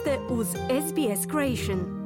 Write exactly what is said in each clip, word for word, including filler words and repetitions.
ste uz S B S Creation.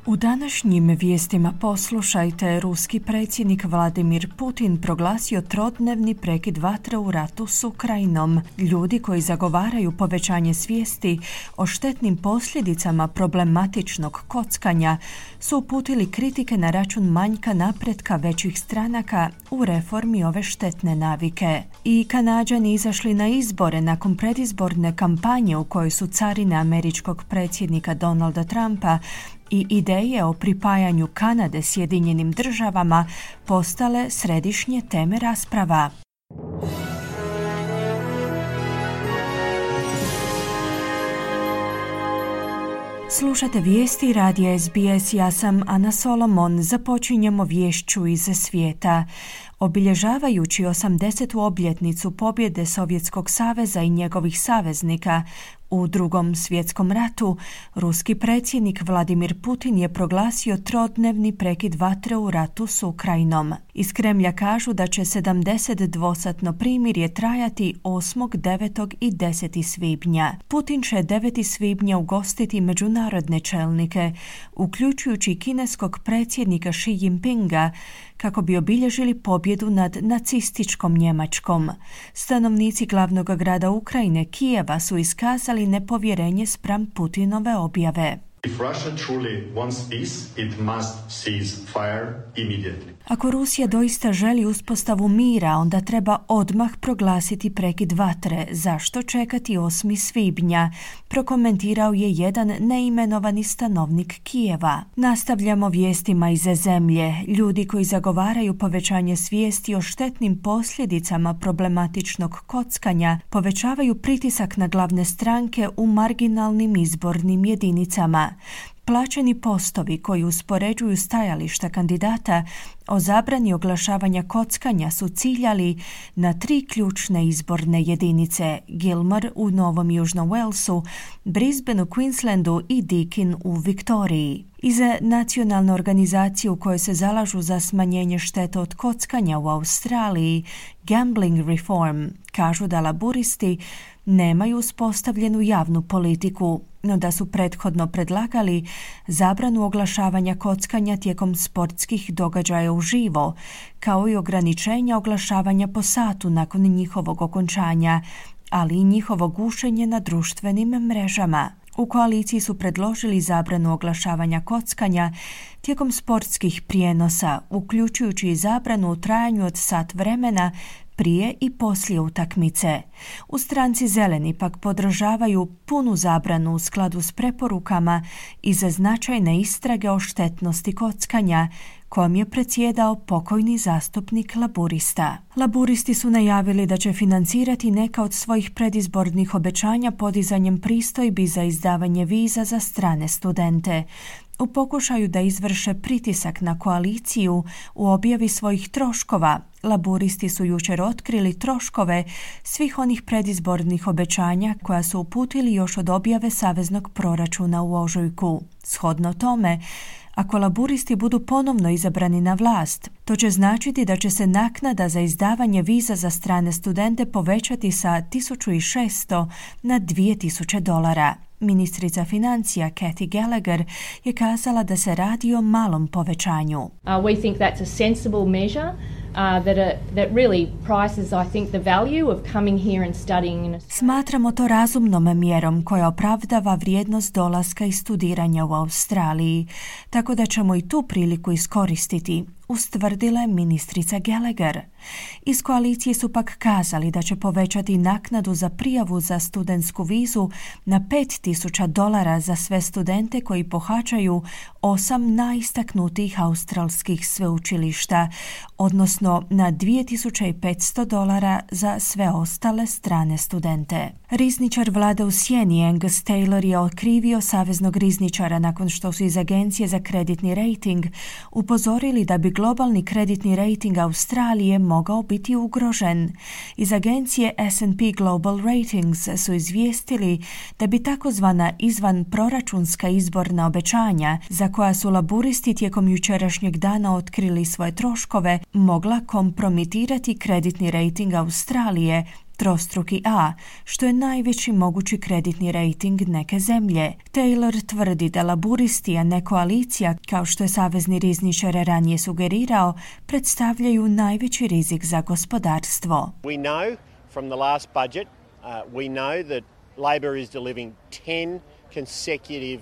U današnjim vijestima poslušajte, ruski predsjednik Vladimir Putin proglasio trodnevni prekid vatre u ratu s Ukrajinom. Ljudi koji zagovaraju povećanje svijesti o štetnim posljedicama problematičnog kockanja su uputili kritike na račun manjka napretka većih stranaka u reformi ove štetne navike. I Kanađani izašli na izbore nakon predizborne kampanje u kojoj su carine američkog predsjednika Donalda Trumpa i ideje o pripajanju Kanade Sjedinjenim državama postale središnje teme rasprava. Slušate vijesti radija S B S, ja sam Ana Solomon. Započinjemo vješću iz svijeta. Obilježavajući osamdesetu obljetnicu pobjede Sovjetskog saveza i njegovih saveznika u Drugom svjetskom ratu, ruski predsjednik Vladimir Putin je proglasio trodnevni prekid vatre u ratu s Ukrajinom. Iz Kremlja kažu da će sedamdesetdvosatno primirje trajati osmog, devetog i desetog svibnja. Putin će devetog svibnja ugostiti međunarodne čelnike, uključujući kineskog predsjednika Xi Jinpinga, kako bi obilježili pobjedu nad nacističkom Njemačkom. Stanovnici glavnog grada Ukrajine, Kijeva, su iskazali nepovjerenje spram Putinove objave. If Russia truly wants peace, it must cease fire immediately. Ako Rusija doista želi uspostavu mira, onda treba odmah proglasiti prekid vatre. Zašto čekati osmog svibnja? Prokomentirao je jedan neimenovani stanovnik Kijeva. Nastavljamo vijestima iz zemlje. Ljudi koji zagovaraju povećanje svijesti o štetnim posljedicama problematičnog kockanja povećavaju pritisak na glavne stranke u marginalnim izbornim jedinicama. Plaćeni postovi koji uspoređuju stajališta kandidata o zabrani oglašavanja kockanja su ciljali na tri ključne izborne jedinice: Gilmore u Novom Južnom Walesu, Brisbane u Queenslandu i Deakin u Viktoriji. Iz nacionalne organizacije u kojoj se zalažu za smanjenje šteta od kockanja u Australiji, Gambling Reform, kažu da laburisti nemaju uspostavljenu javnu politiku, no da su prethodno predlagali zabranu oglašavanja kockanja tijekom sportskih događaja uživo, kao i ograničenja oglašavanja po satu nakon njihovog okončanja, ali i njihovo gušenje na društvenim mrežama. U koaliciji su predložili zabranu oglašavanja kockanja tijekom sportskih prijenosa, uključujući i zabranu u trajanju od sat vremena prije i poslije utakmice. U stranci Zeleni pak podržavaju punu zabranu u skladu s preporukama i za značajne istrage o štetnosti kockanja, kojom je predsjedao pokojni zastupnik laburista. Laburisti su najavili da će financirati neka od svojih predizbornih obećanja podizanjem pristojbi za izdavanje viza za strane studente. U pokušaju da izvrše pritisak na koaliciju u objavi svojih troškova, laburisti su jučer otkrili troškove svih onih predizbornih obećanja koja su uputili još od objave saveznog proračuna u ožujku. Shodno tome, ako laburisti budu ponovno izabrani na vlast, to će značiti da će se naknada za izdavanje viza za strane studente povećati sa tisuću šesto na dvije tisuće dolara. Ministrica financija Kathy Gallagher je kazala da se radi o malom povećanju. Uh, we think that's a sensible measure uh, that, uh, that really prices, I think, the value of coming here and studying in Australia. Smatramo to razumnom mjerom koja opravdava vrijednost dolaska i studiranja u Australiji, tako da ćemo i tu priliku iskoristiti, ustvrdila je ministrica Gallagher. Iz koalicije su pak kazali da će povećati naknadu za prijavu za studentsku vizu na pet tisuća dolara za sve studente koji pohađaju osam najistaknutijih australskih sveučilišta, odnosno na dvije tisuće petsto dolara za sve ostale strane studente. Rizničar vlade u sjeni Angus Taylor je okrivio saveznog rizničara nakon što su iz Agencije za kreditni rating upozorili da bi globalni kreditni rejting Australije mogao biti ugrožen. Iz agencije S and P Global Ratings su izvijestili da bi takozvana izvan proračunska izborna obećanja, za koja su laburisti tijekom jučerašnjeg dana otkrili svoje troškove, mogla kompromitirati kreditni rejting Australije, trostruki A, što je najveći mogući kreditni rejting neke zemlje. Taylor tvrdi da laburisti, a ne koalicija, kao što je savezni rizničar ranije sugerirao, predstavljaju najveći rizik za gospodarstvo. We know from the last budget, uh, we know that Labor is delivering ten consecutive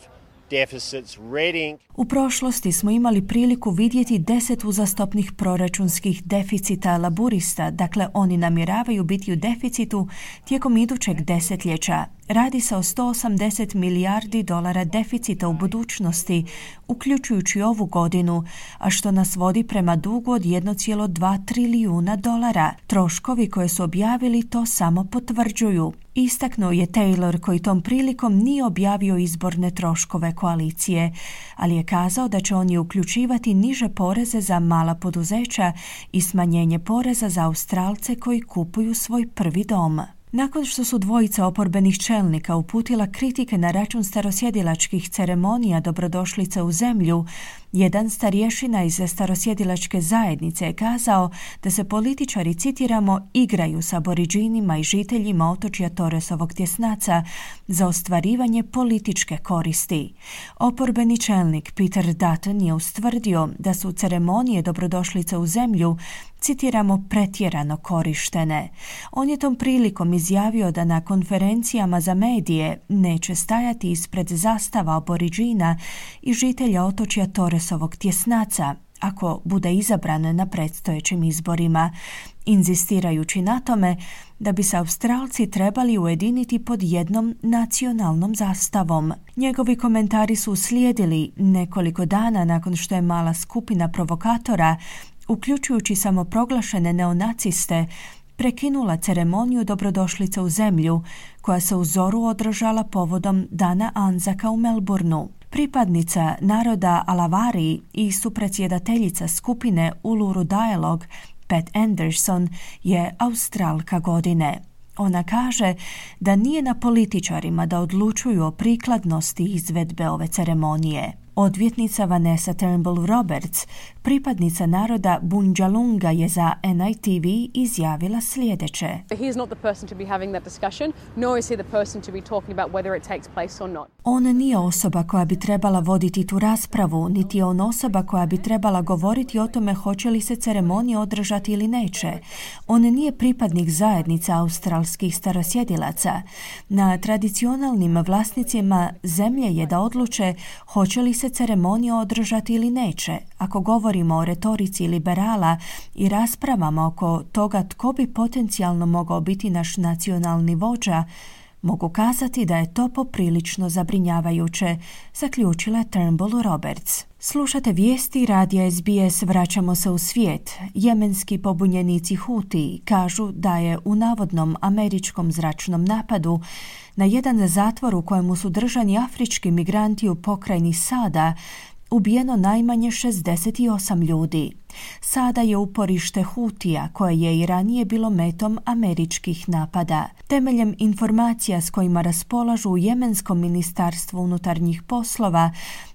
deficits, reading. U prošlosti smo imali priliku vidjeti deset uzastopnih proračunskih deficita laburista, dakle oni namjeravaju biti u deficitu tijekom idućeg desetljeća. Radi se o sto osamdeset milijardi dolara deficita u budućnosti, uključujući ovu godinu, a što nas vodi prema dugu od jedan zarez dva trilijuna dolara. Troškovi koje su objavili to samo potvrđuju. Istaknuo je Taylor, koji tom prilikom nije objavio izborne troškove koalicije, ali je kazao da će oni uključivati niže poreze za mala poduzeća i smanjenje poreza za Australce koji kupuju svoj prvi dom. Nakon što su dvojica oporbenih čelnika uputila kritike na račun starosjedilačkih ceremonija dobrodošlice u zemlju, jedan starješina iz starosjedilačke zajednice je kazao da se političari, citiramo, igraju sa aboriđinima i žiteljima otočja Torresovog tjesnaca za ostvarivanje političke koristi. Oporbeni čelnik Peter Dutton je ustvrdio da su ceremonije dobrodošlice u zemlju, citiramo, pretjerano korištene. On je tom prilikom izjavio da na konferencijama za medije neće stajati ispred zastava aboriđina i žitelja otočja Torresovog tjesnaca ako bude izabran na predstojećim izborima, inzistirajući na tome da bi se Australci trebali ujediniti pod jednom nacionalnom zastavom. Njegovi komentari su uslijedili nekoliko dana nakon što je mala skupina provokatora, uključujući samoproglašene neonaciste, prekinula ceremoniju dobrodošlice u zemlju, koja se u zoru održala povodom Dana Anzaka u Melbourneu. Pripadnica naroda Alavari i supredsjedateljica skupine Uluru Dialogue, Pat Anderson, je Australka godine. Ona kaže da nije na političarima da odlučuju o prikladnosti izvedbe ove ceremonije. Odvjetnica Vanessa Turnbull Roberts, pripadnica naroda Bundjalunga, je za N I T V izjavila sljedeće. He is not the person to be having that discussion, nor is he the person to be talking about whether it takes place or not. On nije osoba koja bi trebala voditi tu raspravu, niti je on osoba koja bi trebala govoriti o tome hoće li se ceremonija održati ili neće. On nije pripadnik zajednica australskih starosjedilaca. Na tradicionalnim vlasnicima zemlje je da odluče hoće li se ceremonija održati ili neće. Ako govorimo o retorici liberala i raspravama oko toga tko bi potencijalno mogao biti naš nacionalni vođa, mogu kazati da je to poprilično zabrinjavajuće, zaključila Turnbull Roberts. Slušate vijesti radija S B S, vraćamo se u svijet. Jemenski pobunjenici Huti kažu da je u navodnom američkom zračnom napadu na jedan zatvor u kojemu su držani afrički migranti u pokrajini Sada ubijeno najmanje šezdeset osam ljudi. Sada je uporište Hutija, koje je i ranije bilo metom američkih napada. Temeljem informacija s kojima raspolažu u Jemenskom ministarstvu unutarnjih poslova,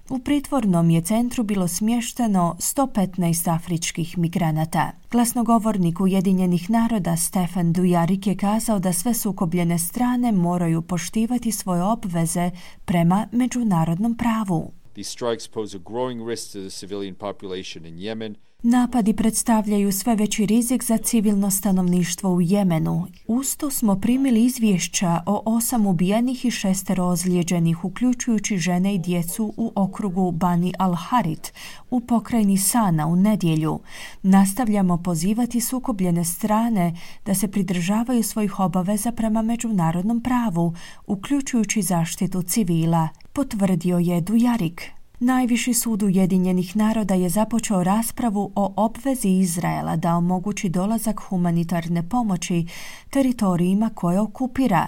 u pritvornom je centru bilo smješteno sto petnaest afričkih migranata. Glasnogovornik Ujedinjenih naroda Stefan Dujarric je kazao da sve sukobljene strane moraju poštivati svoje obveze prema međunarodnom pravu. These strikes pose a growing risk to the civilian population in Yemen. Napadi predstavljaju sve veći rizik za civilno stanovništvo u Jemenu. Usto smo primili izvješća o osam ubijenih i šestero ozlijeđenih, uključujući žene i djecu u okrugu Bani al-Harit u pokrajini Sana u nedjelju. Nastavljamo pozivati sukobljene strane da se pridržavaju svojih obaveza prema međunarodnom pravu, uključujući zaštitu civila, potvrdio je Dujarric. Najviši sud Ujedinjenih naroda je započeo raspravu o obvezi Izraela da omogući dolazak humanitarne pomoći teritorijima koje okupira.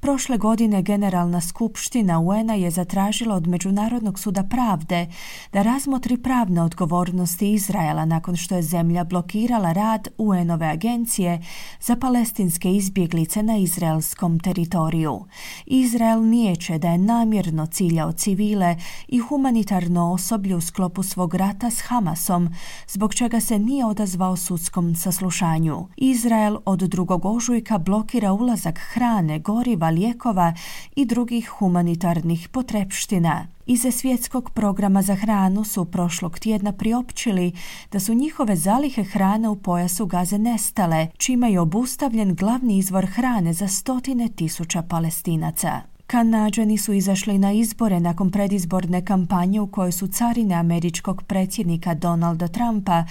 Prošle godine Generalna skupština U N-a je zatražila od Međunarodnog suda pravde da razmotri pravne odgovornosti Izraela nakon što je zemlja blokirala rad U N-ove agencije za palestinske izbjeglice na izraelskom teritoriju. Izrael niječe da je namjerno ciljao civile i humanitarno osoblje u sklopu svog rata s Hamasom, zbog čega se nije odazvao sudskom saslušanju. Izrael od drugog ožujka blokira ulazak hrane, goriva, lijekova i drugih humanitarnih potrepština. Iz svjetskog programa za hranu su prošlog tjedna priopćili da su njihove zalihe hrane u pojasu Gaze nestale, čime je obustavljen glavni izvor hrane za stotine tisuća Palestinaca. Kanađani su izašli na izbore nakon predizborne kampanje u kojoj su carine američkog predsjednika Donalda Trumpa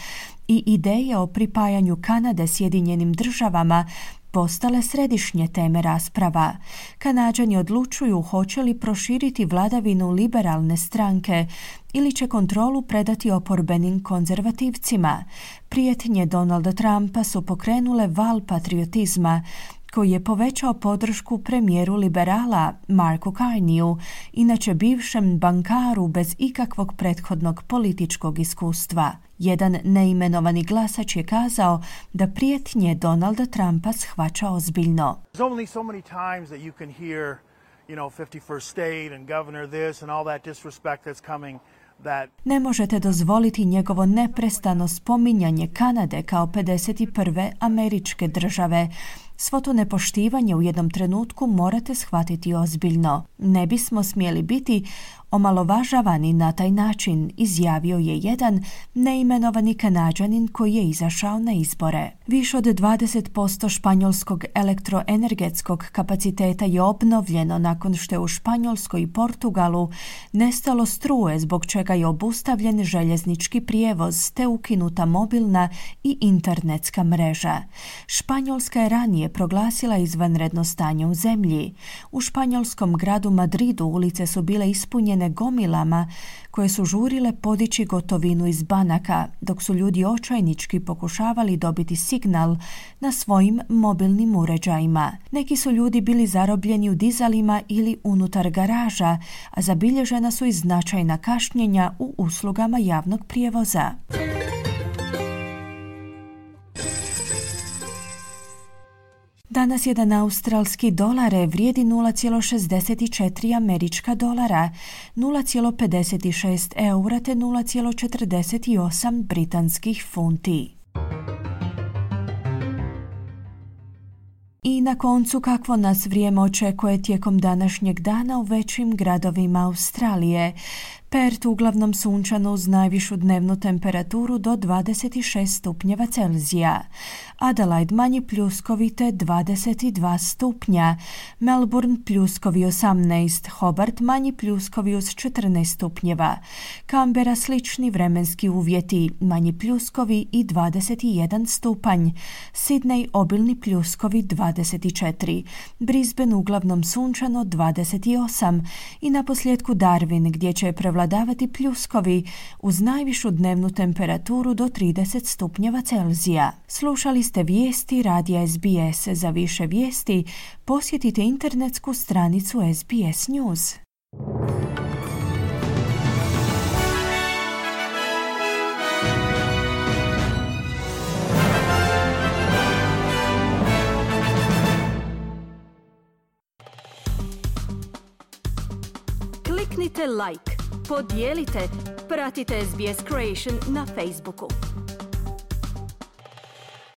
i ideje o pripajanju Kanade Sjedinjenim državama postale središnje teme rasprava. Kanađani odlučuju hoće li proširiti vladavinu liberalne stranke ili će kontrolu predati oporbenim konzervativcima. Prijetnje Donalda Trumpa su pokrenule val patriotizma koji je povećao podršku premijeru liberala Marku Carneyu, inače bivšem bankaru bez ikakvog prethodnog političkog iskustva. Jedan neimenovani glasač je kazao da prijetnje Donalda Trumpa shvaća ozbiljno. There's only so many times that you can hear, you know, fifty-first state and governor this and all that disrespect that's coming. Ne možete dozvoliti njegovo neprestano spominjanje Kanade kao pedeset prve američke države. Svo to nepoštivanje u jednom trenutku morate shvatiti ozbiljno. Ne bismo smjeli biti omalovažavani na taj način, izjavio je jedan neimenovani Kanađanin koji je izašao na izbore. Više od dvadeset posto španjolskog elektroenergetskog kapaciteta je obnovljeno nakon što je u Španjolskoj i Portugalu nestalo struje, zbog čega je obustavljen željeznički prijevoz te ukinuta mobilna i internetska mreža. Španjolska je ranije proglasila izvanredno stanje u zemlji. U španjolskom gradu Madridu ulice su bile ispunjene gomilama koje su žurile podići gotovinu iz banaka, dok su ljudi očajnički pokušavali dobiti signal na svojim mobilnim uređajima. Neki su ljudi bili zarobljeni u dizalima ili unutar garaža, a zabilježena su i značajna kašnjenja u uslugama javnog prijevoza. Danas jedan australski dolar vrijedi nula zarez šezdeset četiri američka dolara, nula zarez pedeset šest eura te nula zarez četrdeset osam britanskih funti. I na koncu, kakvo nas vrijeme očekuje tijekom današnjeg dana u većim gradovima Australije. Perth uglavnom sunčano uz najvišu dnevnu temperaturu do dvadeset šest stupnjeva Celzija. Adelaide manji pljuskovite dvadeset dva stupnja. Melbourne pljuskovi osamnaest. Hobart manji pljuskovi uz četrnaest stupnjeva. Canberra slični vremenski uvjeti, manji pljuskovi i dvadeset jedan stupanj. Sydney obilni pljuskovi dvadeset četiri. Brisbane uglavnom sunčano dvadeset osam. I na posljedku Darwin gdje će prevladavati pljuskovi uz najvišu dnevnu temperaturu do trideset stupnjeva Celzija. Slušali ste vijesti radija S B S. Za više vijesti posjetite internetsku stranicu S B S News. Kliknite like, podijelite, pratite S B S Creation na Facebooku.